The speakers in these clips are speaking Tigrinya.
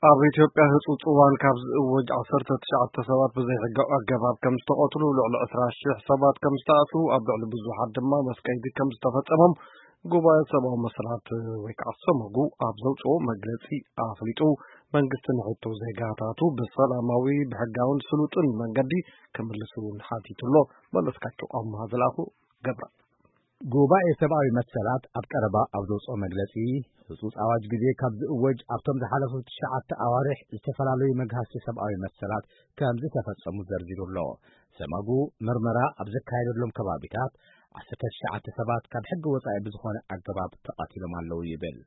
ኣብ ኢትዮጵያ ህጹጽ እዋን ካብ ዝእወጅ ዓሰርተ ትሽዓተ ሰባት ብዘይሕጋዊ ኣገባብ ከም ዝተቐትሉ፣ ልዕሊ ዕስራ ሽሕ ሰባት ከም ዝተኣስሩ፣ ኣብ ልዕሊ ብዙሓት ድማ መስቀይዲ ከም ዝተፈጸሞም ጉባኤ ሰብኣዊ መሰላት ወይ ከዓ ሰመጉ ኣብ ዘውፅኦ መግለፂ ኣፍሊጡ። መንግስቲ ንሕቶ ዜጋታቱ ብሰላማዊ፣ ብሕጋውን ስሉጥን መንገዲ ክምልስ እውን ሓቲቱ ኣሎ። መለስካቸው ኣምሃ ዝለኣኹ ገብራ። ጉባኤ ሰብኣዊ መሰላት ኣብ ቀረባ ኣብ ዘውፅኦ መግለፂ፣ ህፁፅ ኣዋጅ ግዜ ካብ ዝእወጅ ኣብቶም ዝሓለፉ ትሽዓተ ኣዋርሕ ዝተፈላለዩ መግሃስቲ ሰብኣዊ መሰላት ከም ዝተፈጸሙ ዘርዚሩ ኣሎ። ሰመጉ ምርመራ ኣብ ዘካየደሎም ከባቢታት ዓሰርተ ትሽዓተ ሰባት ካብ ሕጊ ወጻኢ ብዝኾነ ኣገባብ ተቐቲሎም ኣለዉ ይብል።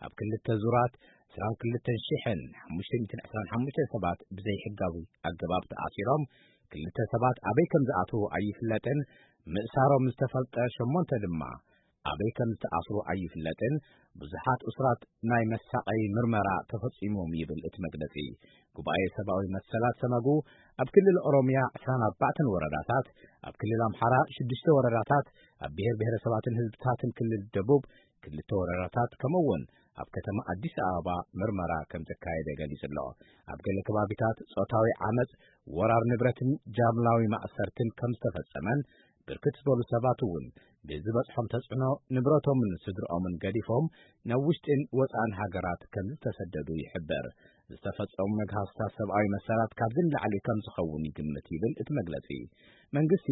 ኣብ ክልተ ዙራት ዕስራን ክልተን ሽሕን ሓሙሽተ ሚእትን ዕስራን ሓሙሽተን ሰባት ብዘይሕጋዊ ኣገባብ ተኣሲሮም፣ ክልተ ሰባት ኣበይ ከም ዝኣትዉ ኣይፍለጥን፣ ምእሳሮም ዝተፈልጠ ሸሞንተ ድማ ኣበይ ከም ዝተኣስሩ ኣይፍለጥን፣ ብዙሓት እሱራት ናይ መሳቐዪ ምርመራ ተፈጺሞም ይብል እቲ መግለጺ። ጉባኤ ሰብኣዊ መሰላት ሰመጉ ኣብ ክልል ኦሮምያ ዕስራን ኣርባዕተን ወረዳታት፣ ኣብ ክልል ኣምሓራ ሽዱሽተ ወረዳታት፣ ኣብ ብሔር ብሔረሰባትን ህዝብታትን ክልል ደቡብ ክልተ ወረዳታት፣ ከምኡ እውን ኣብ ከተማ ኣዲስ ኣበባ ምርመራ ከም ዘካየደ ገሊጹ ኣሎ። ኣብ ገለ ከባቢታት ጾታዊ ዓመጽ፣ ወራር ንብረትን ጃምላዊ ማእሰርትን ከም ዝተፈጸመን፣ ብርክት ዝበሉ ሰባት እውን ብዝበጽሖም ተጽዕኖ ንብረቶምን ስድርኦምን ገዲፎም ናብ ውሽጥን ወጻእን ሃገራት ከም ዝተሰደዱ ይሕበር። ዝተፈጸሙ መግሃስታት ሰብኣዊ መሰላት ካብዚ ንላዕሊ ከም ዝኸውን ይግምት ይብል እቲ መግለጺ። መንግስቲ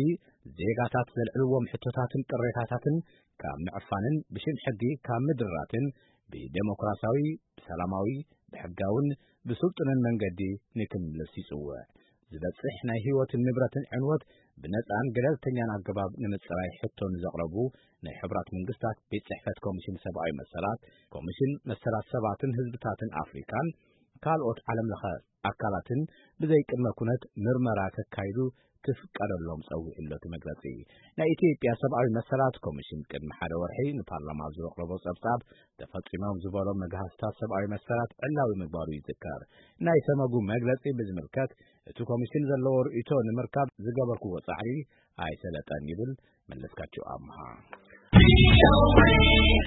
ዜጋታት ዘልዕልዎም ሕቶታትን ቅሬታታትን ካብ ምዕፋንን ብሽም ሕጊ ካብ ምድራትን ብዴሞክራሲያዊ፣ ብሰላማዊ፣ ብሕጋውን ብስልጡንን መንገዲ ንክምልስ ይጽውዕ። ዝበጽሕ ናይ ህይወትን ንብረትን ዕንወት ብነጻን ገለልተኛን ኣገባብ ንምጽራይ ሕቶ ንዘቕረቡ ናይ ሕቡራት መንግስታት ቤት ጽሕፈት ኮሚሽን ሰብኣዊ መሰላት፣ ኮሚሽን መሰላት ሰባትን ህዝብታትን ኣፍሪካን ካልኦት ዓለም ለኸ ኣካላትን ብዘይ ቅድመ ኩነት ምርመራ ከካይዱ ክፍቀደሎም ጸዊዑ ኣሎ እቲ መግለጺ። ናይ ኢትዮጵያ ሰብኣዊ መሰላት ኮሚሽን ቅድሚ ሓደ ወርሒ ንፓርላማ ኣብ ዘቕረቦ ጸብጻብ፣ ተፈጺሞም ዝበሎም መግሃስታት ሰብኣዊ መሰላት ዕላዊ ምግባሩ ይዝከር። ናይ ሰመጉ መግለጺ ብዝምልከት እቲ ኮሚሽን ዘለዎ ርእይቶ ንምርካብ ዝገበርክዎ ጻዕሪ ኣይሰለጠን ይብል መለስካቸው ኣምሃ።